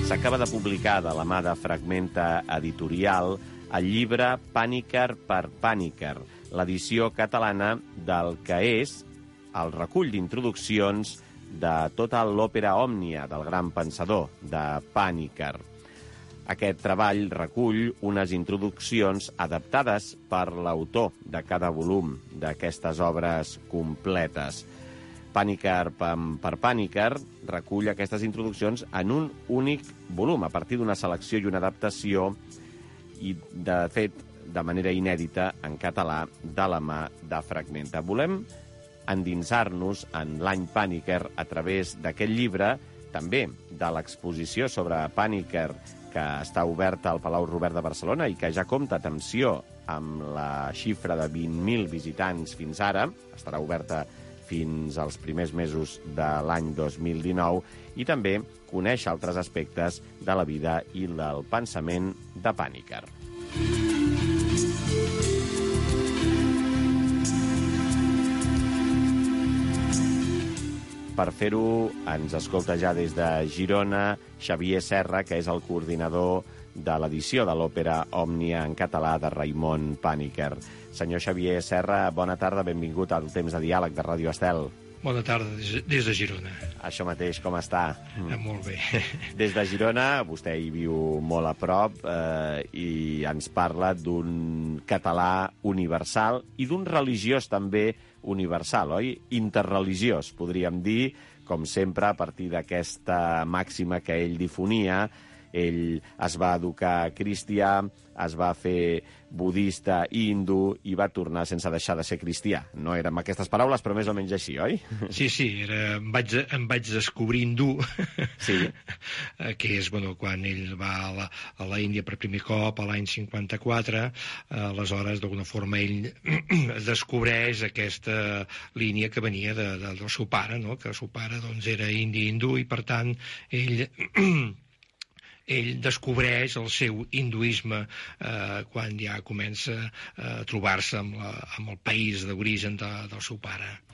S'acaba de publicar de la mà de Fragmenta Editorial el llibre Pàniker per Pàniker, l'edició catalana del que és el recull d'introduccions de tota l'òpera òmnia del gran pensador, de Pàniker. Aquest treball recull unes introduccions adaptades per l'autor de cada volum d'aquestes obres completes. Pàniker per Pàniker recull aquestes introduccions en un únic volum, a partir d'una selecció i una adaptació, i, de fet, de manera inèdita en català, de la mà de Fragmenta. Volem endinsar-nos en l'any Pàniker a través d'aquest llibre, també de l'exposició sobre Pàniker, que està oberta al Palau Robert de Barcelona i que ja compta, atenció, amb la xifra de 20.000 visitants fins ara. Estarà oberta fins als primers mesos de l'any 2019, i també conèixer altres aspectes de la vida i del pensament de Pàniker. Per fer-ho, ens escolta ja des de Girona Xavier Serra, que és el coordinador de l'edició de l'òpera Òmnia en català de Raimon Pàniker. Senyor Xavier Serra, bona tarda, benvingut al Temps de Diàleg de Ràdio Estel. Bona tarda, des de Girona. Això mateix, com està? Molt bé. Des de Girona, vostè hi viu molt a prop i ens parla d'un català universal i d'un religiós també universal, oi? Interreligiós, podríem dir, com sempre, a partir d'aquesta màxima que ell difonia. Ell es va educar cristià, es va fer budista i hindú i va tornar sense deixar de ser cristià. No eren aquestes paraules, però més o menys així, oi? Sí, em vaig descobrir hindú, sí. Que és quan ell va a la Índia per primer cop, a l'any 54, aleshores, d'alguna forma, ell descobreix aquesta línia que venia del seu pare, no? Que el seu pare era indi hindú i, per tant, ell descobreix el seu hinduisme quan ja comença a trobar-se amb el país d'origen del seu pare.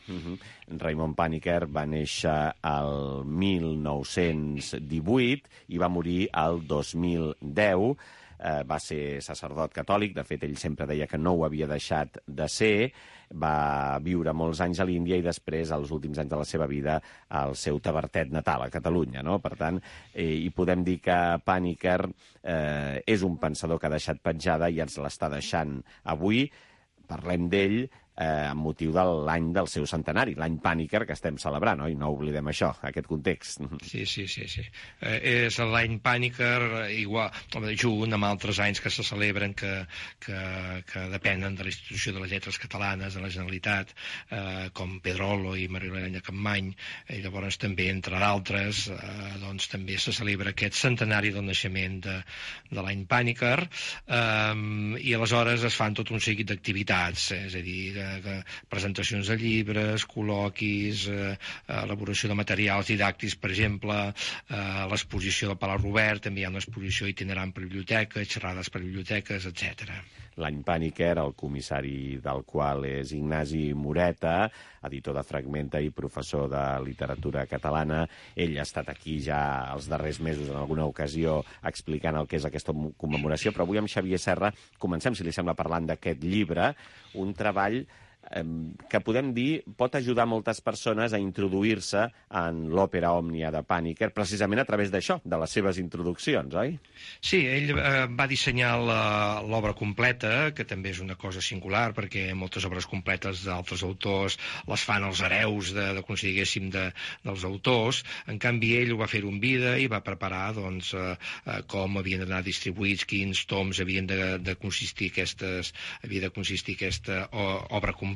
Raimon Pàniker va néixer el 1918 i va morir el 2010. Va ser sacerdot catòlic, de fet ell sempre deia que no ho havia deixat de ser, va viure molts anys a l'Índia i després, als últims anys de la seva vida, al seu Tavertet natal, a Catalunya, no? Per tant, hi podem dir que Pàniker és un pensador que ha deixat petjada i ens l'està deixant avui. Parlem d'ell amb motiu de l'any del seu centenari, l'any Pàniker que estem celebrant, oi? No oblidem això, aquest context. Sí. És l'any Pàniker, igual, junt amb altres anys que se celebren que depenen de la Institució de les Lletres Catalanes, de la Generalitat, com Pedrolo i Maria Capmany, i llavors també, entre d'altres, també se celebra aquest centenari del naixement de l'any Pàniker, i aleshores es fan tot un seguit d'activitats, és a dir, presentacions de llibres, col·loquis, elaboració de materials didàctics, per exemple, l'exposició del Palau Robert, també hi ha una exposició itinerant per biblioteques, xerrades per biblioteques, etc. L'any Pàniker, el comissari del qual és Ignasi Moreta, editor de Fragmenta i professor de literatura catalana. Ell ha estat aquí ja els darrers mesos en alguna ocasió explicant el que és aquesta commemoració, però avui amb Xavier Serra comencem, si li sembla, parlant d'aquest llibre, un treball que podem dir pot ajudar moltes persones a introduir-se en l'òpera òmnia de Pàniker, precisament a través d'això, de les seves introduccions, oi? Sí, ell va dissenyar l'obra completa, que també és una cosa singular, perquè moltes obres completes d'altres autors les fan els hereus, diguéssim, dels autors. En canvi, ell ho va fer en vida i va preparar com havien d'anar distribuïts, quins toms havia de consistir aquesta obra completa,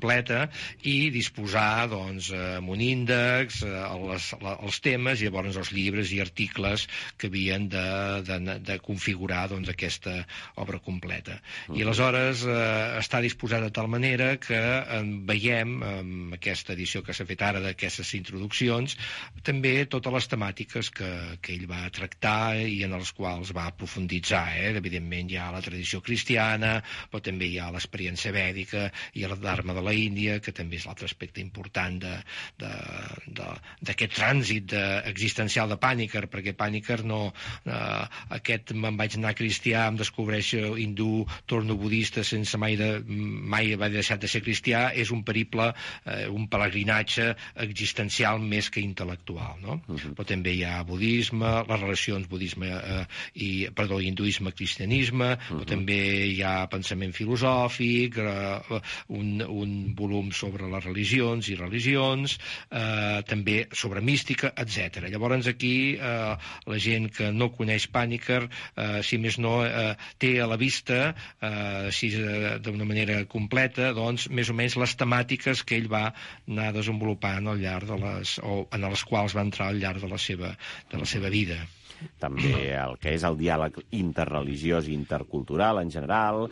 i disposar amb un índex, els temes i llavors els llibres i articles que havien de configurar aquesta obra completa. I aleshores està disposada de tal manera que veiem, amb aquesta edició que s'ha fet ara d'aquestes introduccions, també totes les temàtiques que ell va tractar i en les quals va profunditzar. Evidentment hi ha la tradició cristiana, però també hi ha l'experiència vèdica i el Dharma de la Índia, que també és l'altre aspecte important d'aquest trànsit existencial de Panikkar, perquè Panikkar no... aquest me'n vaig anar cristià, em descobreixo hindú, torno budista sense mai haver deixat de ser cristià, és un periple, un pelegrinatge existencial més que intel·lectual, no? Però també hi ha budisme, les relacions hinduisme-cristianisme, però també hi ha pensament filosòfic, un volum sobre les religions i religions, també sobre mística, etc. Llavors aquí la gent que no coneix Panikkar, si més no, té a la vista, així d'una manera completa, doncs, més o menys les temàtiques que ell va anar desenvolupant al llarg en les quals va entrar al llarg de la seva vida. També el que és el diàleg interreligiós i intercultural en general,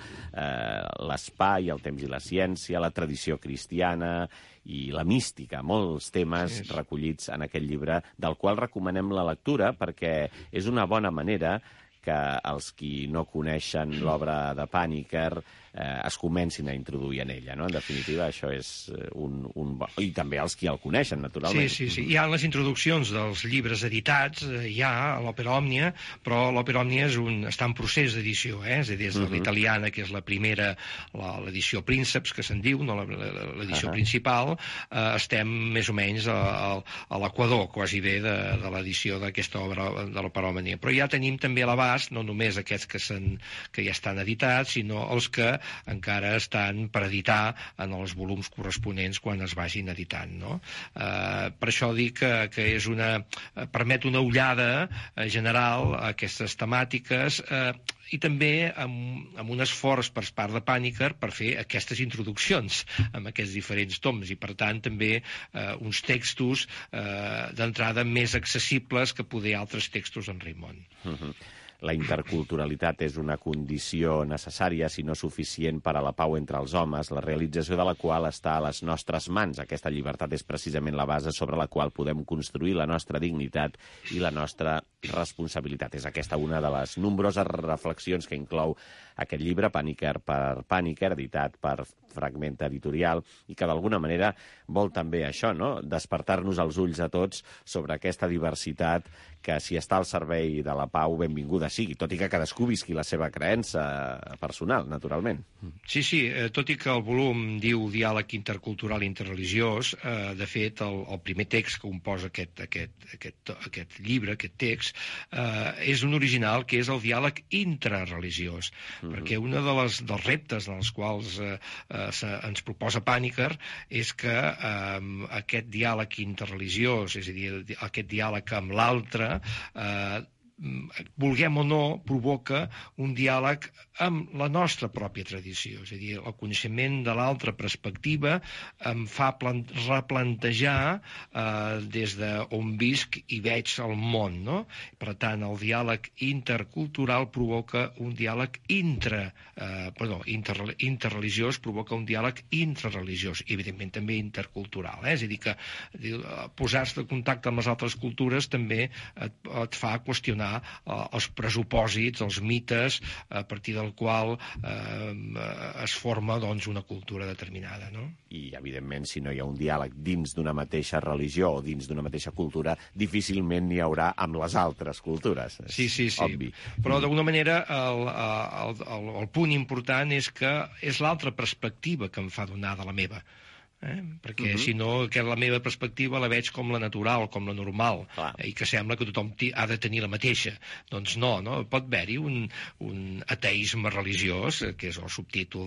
l'espai, el temps i la ciència, la tradició cristiana i la mística, molts temes recollits en aquest llibre, del qual recomanem la lectura perquè és una bona manera que els qui no coneixen l'obra de Panikkar es comencin a introduir en ella, no? En definitiva, això és un bon... I també els qui el coneixen, naturalment. Sí. Hi ha les introduccions dels llibres editats, hi ha l'Òpera Òmnia, però l'Òpera Òmnia està en procés d'edició, és a dir, des de l'italiana, que és la primera, l'edició Prínceps, que se'n diu, no l'edició principal, estem més o menys a l'equador, quasi bé, de l'edició d'aquesta obra de l'Òpera Òmnia. Però ja tenim també a l'abast, no només aquests que ja estan editats, sinó els que encara estan per editar en els volums corresponents quan es vagin editant, no? Per això dic que permet una ullada general a aquestes temàtiques i també amb un esforç per part de Panikkar per fer aquestes introduccions amb aquests diferents toms i, per tant, també uns textos d'entrada més accessibles que poder altres textos en Raimon. La interculturalitat és una condició necessària, si no suficient, per a la pau entre els homes, la realització de la qual està a les nostres mans. Aquesta llibertat és precisament la base sobre la qual podem construir la nostra dignitat i la nostra responsabilitat. És aquesta una de les nombroses reflexions que inclou aquest llibre, Panikkar per Panikkar, editat per Fragmenta Editorial, i que d'alguna manera vol també això, no? Despertar-nos els ulls a tots sobre aquesta diversitat que, si està al servei de la pau, benvinguda sigui, tot i que cadascú visqui la seva creença personal, naturalment. Sí, tot i que el volum diu diàleg intercultural i interreligiós, de fet, el primer text que composa aquest llibre, aquest text, és un original que és el diàleg intrareligiós, perquè un dels reptes en els quals ens proposa Panikkar és que aquest diàleg interreligiós, és a dir, aquest diàleg amb l'altre, vulguem o no, provoca un diàleg amb la nostra pròpia tradició. És a dir, el coneixement de l'altra perspectiva em fa replantejar des d'on visc i veig el món, no? Per tant, el diàleg intercultural provoca un diàleg interreligiós, provoca un diàleg intrareligiós, i evidentment també intercultural. És a dir, que posar-se en contacte amb les altres cultures també et fa qüestionar els pressupòsits, els mites, a partir del qual es forma una cultura determinada, no? I, evidentment, si no hi ha un diàleg dins d'una mateixa religió o dins d'una mateixa cultura, difícilment n'hi haurà amb les altres cultures. Sí. Obvi. Però, d'alguna manera, el punt important és que és l'altra perspectiva que em fa donar de la meva. Perquè si no, que la meva perspectiva la veig com la natural, com la normal, i que sembla que tothom ha de tenir la mateixa. Doncs no? Pot haver-hi un ateisme religiós, que és el subtítol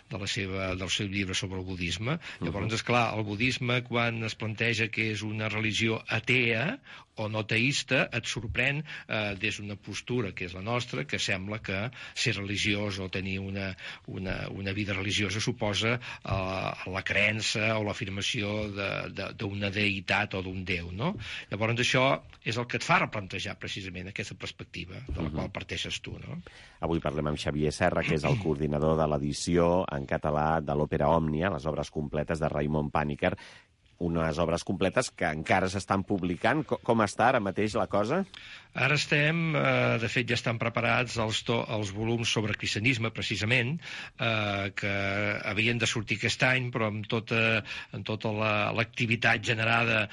del seu llibre sobre el budisme. Llavors, esclar, el budisme, quan es planteja que és una religió atea o no teista, et sorprèn des d'una postura que és la nostra, que sembla que ser religiós o tenir una vida religiosa suposa la creença o l'afirmació d'una deïtat o d'un déu, no? Llavors això és el que et fa replantejar precisament aquesta perspectiva de la qual parteixes tu, no? Avui parlem amb Xavier Serra, que és el coordinador de l'edició en català de l'Òpera Òmnia, les obres completes de Raimon Panikkar, unes obres completes que encara s'estan publicant. Com està ara mateix la cosa? Ara estem, de fet ja estan preparats els volums sobre cristianisme, precisament, que havien de sortir aquest any, però amb tota l'activitat generada,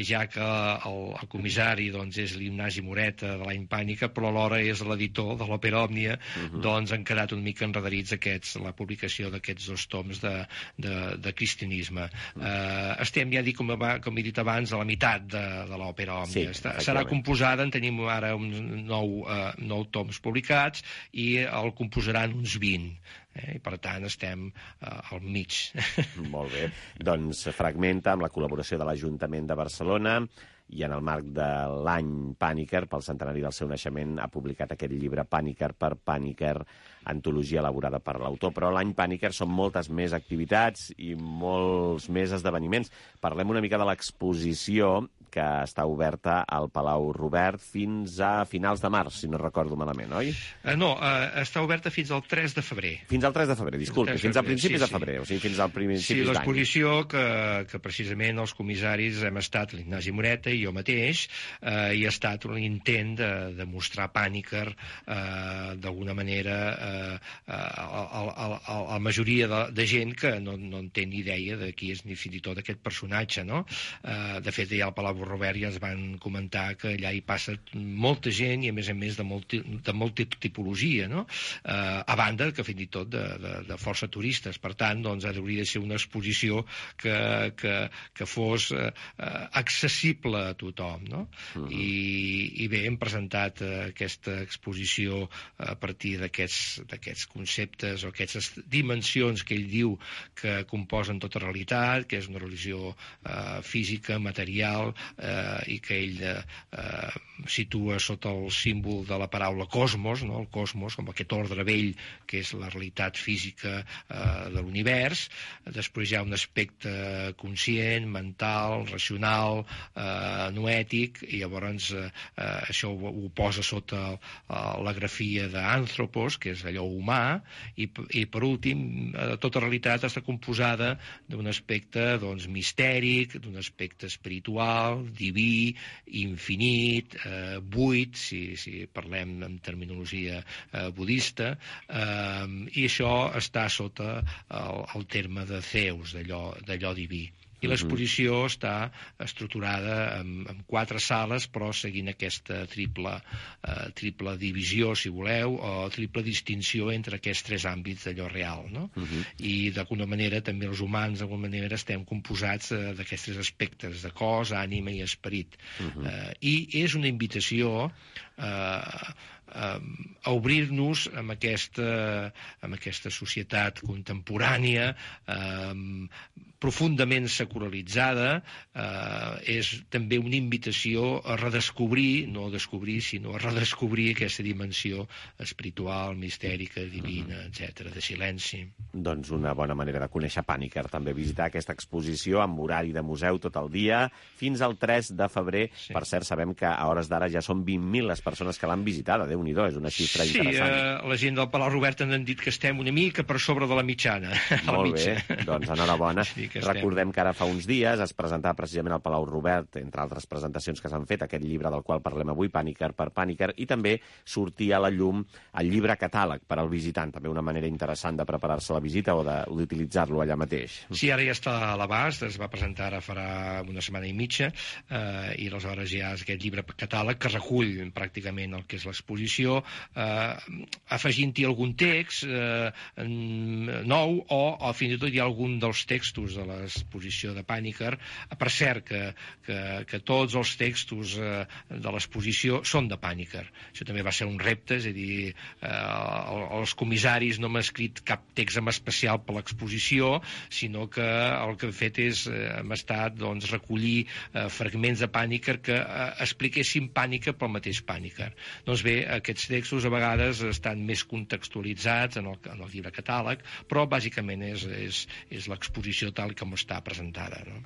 ja que el comissari és l'Ignasi Moreta de l'Any Pàniker, però alhora és l'editor de l'Òpera Òmnia, doncs han quedat una mica enredarits la publicació d'aquests 2 toms de cristianisme. Estem, ja dic, com he dit abans, a la meitat de l'Òpera Òmnia. Serà composada, en tenim ara uns 9 toms publicats i el composaran uns 20. I per tant estem al mig. Molt bé. Doncs Fragmenta, amb la col·laboració de l'Ajuntament de Barcelona i en el marc de l'any Pàniker, pel centenari del seu naixement, ha publicat aquest llibre Pàniker per Pàniker, antologia elaborada per l'autor. Però l'any Pàniker són moltes més activitats i molts més esdeveniments. Parlem una mica de l'exposició que està oberta al Palau Robert fins a finals de març, si no recordo malament, oi? No, està oberta fins al 3 de febrer. Fins al 3 de febrer, disculpi, fins a principis de febrer, o sigui, fins al principis d'any. Sí, l'exposició que precisament els comissaris hem estat l'Ignasi Moreta i jo mateix, i ha estat un intent de mostrar Pàniker d'alguna manera a la majoria de gent que no en té ni idea de qui és ni fins i tot aquest personatge, no? De fet, ja al Palau Robert ja ens van comentar que allà hi passa molta gent i a més de molta tipologia, no? A banda que fins i tot de força turistes. Per tant, doncs hauria de ser una exposició que fos accessible a tothom, no? I bé, hem presentat aquesta exposició a partir d'aquests conceptes o aquestes dimensions que ell diu que composen tota realitat, que és una religió física, material, i que ell situa sota el símbol de la paraula cosmos, no? El cosmos com aquest ordre vell que és la realitat física de l'univers. Després hi ha un aspecte conscient, mental, racional, noètic, i llavors això ho posa sota la grafia d'Anthropos, que és allò humà, i per últim tota realitat està composada d'un aspecte mistèric, d'un aspecte espiritual, diví, infinit, buit, si parlem en terminologia budista, i això està sota el terme de Zeus, d'allò diví. I l'exposició està estructurada en 4 sales, però seguint aquesta triple divisió, si voleu, o triple distinció entre aquests 3 àmbits d'allò real, no? I d'alguna manera també els humans d'alguna manera estem composats d'aquests 3 aspectes, de cos, ànima i esperit. I és una invitació a obrir-nos amb aquesta societat contemporània profundament secularitzada. És també una invitació a redescobrir, no a descobrir, sinó a redescobrir aquesta dimensió espiritual, mistèrica, divina, etc., de silenci. Doncs una bona manera de conèixer Pàniker, també visitar aquesta exposició amb horari de museu tot el dia, fins al 3 de febrer. Sí. Per cert, sabem que a hores d'ara ja són 20.000 les persones que l'han visitada. Déu-n'hi-do, és una xifra interessant. Sí, la gent del Palau Robert han dit que estem una mica per sobre de la mitjana. Molt bé, doncs enhorabona. Sí, recordem que ara fa uns dies es presentava precisament al Palau Robert, entre altres presentacions que s'han fet, aquest llibre del qual parlem avui, Pàniker per Pàniker, i també sortia a la llum el llibre catàleg per al visitant, també una manera interessant de preparar-se a la visita o d'utilitzar-lo allà mateix. Sí, ara ja està a l'abast, es va presentar ara farà una setmana i mitja, i aleshores ja és aquest llibre catàleg que recull pràcticament el que és l'exposició, afegint-hi algun text nou o fins i tot hi ha algun dels textos de l'exposició de Pàniker. Per cert, que tots els textos de l'exposició són de Pàniker. Això també va ser un repte, és a dir, els comissaris no m'han escrit cap text en especial per l'exposició, sinó que el que hem fet és hem estat recollir fragments de Pàniker que expliquessin Pàniker pel mateix Pàniker. Doncs bé, aquests textos a vegades estan més contextualitzats en el llibre catàleg, però bàsicament és l'exposició tal com està presentada, no?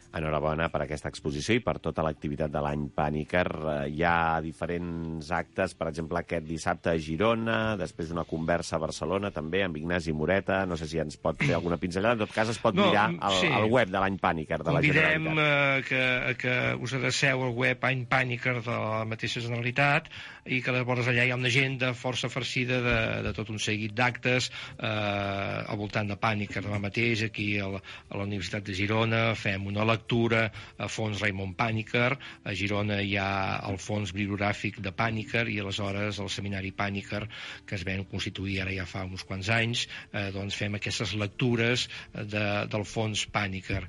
Enhorabona per aquesta exposició i per tota l'activitat de l'any Pàniker. Hi ha diferents actes, per exemple, aquest dissabte a Girona, després una conversa a Barcelona, també, amb Ignasi Moreta. No sé si ens pot fer alguna pinzellada. En tot cas, es pot mirar al web de l'any Pàniker de la Generalitat. Convidem que us adreceu al web Any Pàniker de la mateixa Generalitat i que llavors allà hi ha una agenda força farcida de tot un seguit d'actes al voltant de Pàniker. Demà mateix, aquí a la Universitat de Girona, fem una lectura a fons Raimon Pàniker. A Girona hi ha el fons bibliogràfic de Pàniker i aleshores el seminari Pàniker, que es ven constituir ara ja fa uns quants anys, doncs fem aquestes lectures del fons Pàniker,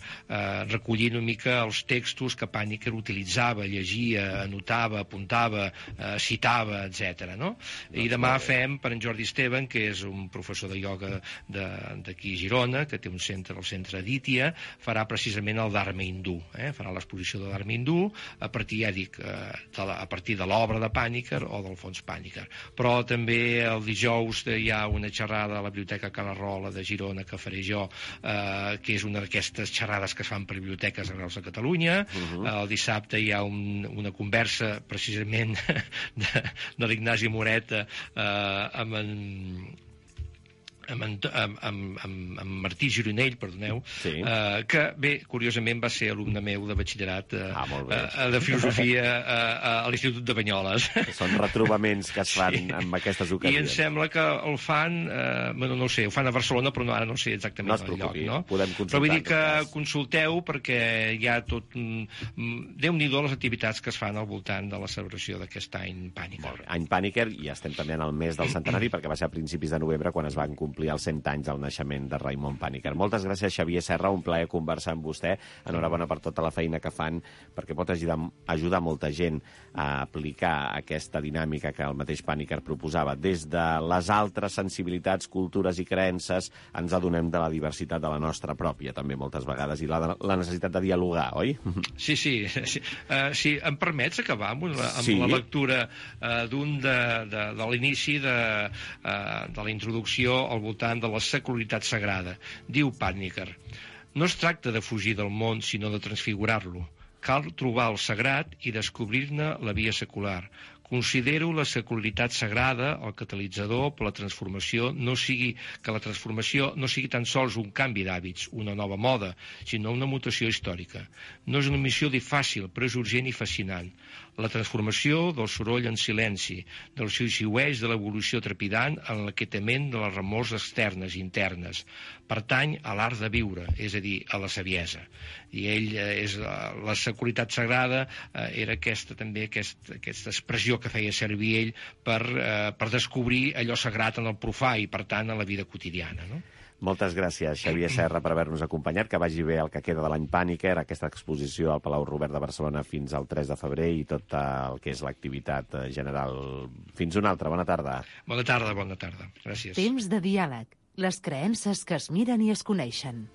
recollint una mica els textos que Pàniker utilitzava, llegia, anotava, apuntava, citava, etc. No? I demà fem per en Jordi Esteban, que és un professor de ioga d'aquí a Girona, que té un centre, el centre Aditya, farà precisament el Dharma hindú, farà l'exposició de Dharma hindú a partir, ja dic, a partir de l'obra de Pàniker o del fons Pàniker. Però també el dijous hi ha una xerrada a la Biblioteca Cala-rola de Girona que faré jo, que és una d'aquestes xerrades que es fan per biblioteques arreu de Catalunya. El dissabte hi ha una conversa precisament de l'Ignasi Moreta amb Martí Gironell, perdoneu, que, bé, curiosament va ser alumne meu de batxillerat de filosofia a l'Institut de Banyoles. Són retrobaments que es fan en aquestes ocasions. I em sembla que el fan, no ho sé, ho fan a Barcelona, però ara no sé exactament el lloc. No? Podem consultar. Però vull dir que consulteu perquè hi ha tot... Déu-n'hi-do les activitats que es fan al voltant de la celebració d'aquest any Pàniker. Any Pàniker, i estem també en el mes del centenari, perquè va ser a principis de novembre quan es van complir els 100 anys del naixement de Raimon Pàniker. Moltes gràcies, Xavier Serra, un plaer conversar amb vostè. Enhorabona per tota la feina que fan, perquè pot ajudar molta gent a aplicar aquesta dinàmica que el mateix Pàniker proposava. Des de les altres sensibilitats, cultures i creences, ens adonem de la diversitat de la nostra pròpia, també moltes vegades, i la necessitat de dialogar, oi? Sí. Sí, em permets acabar amb la lectura de l'inici de la introducció al voltant de la secularitat sagrada. Diu Pàniker: no es tracta de fugir del món, sinó de transfigurar-lo. Cal trobar el sagrat i descobrir-ne la via secular. Considero la secularitat sagrada el catalitzador per la transformació, que la transformació no sigui tan sols un canvi d'hàbits, una nova moda, sinó una mutació històrica. No és una missió fàcil, però és urgent i fascinant. La transformació del soroll en silenci, del xiuxiueig de l'evolució trepidant en l'aquietament de les remors externes i internes. Pertany a l'art de viure, és a dir, a la saviesa. I la secularitat sagrada era aquesta expressió que feia servir ell per descobrir allò sagrat en el profà i, per tant, en la vida quotidiana, no? Moltes gràcies, Xavier Serra, per haver-nos acompanyat. Que vagi bé el que queda de l'any Pàniker, aquesta exposició al Palau Robert de Barcelona fins al 3 de febrer i tot el que és l'activitat general. Fins una altra. Bona tarda. Bona tarda. Gràcies. Temps de diàleg. Les creences que es miren i es coneixen.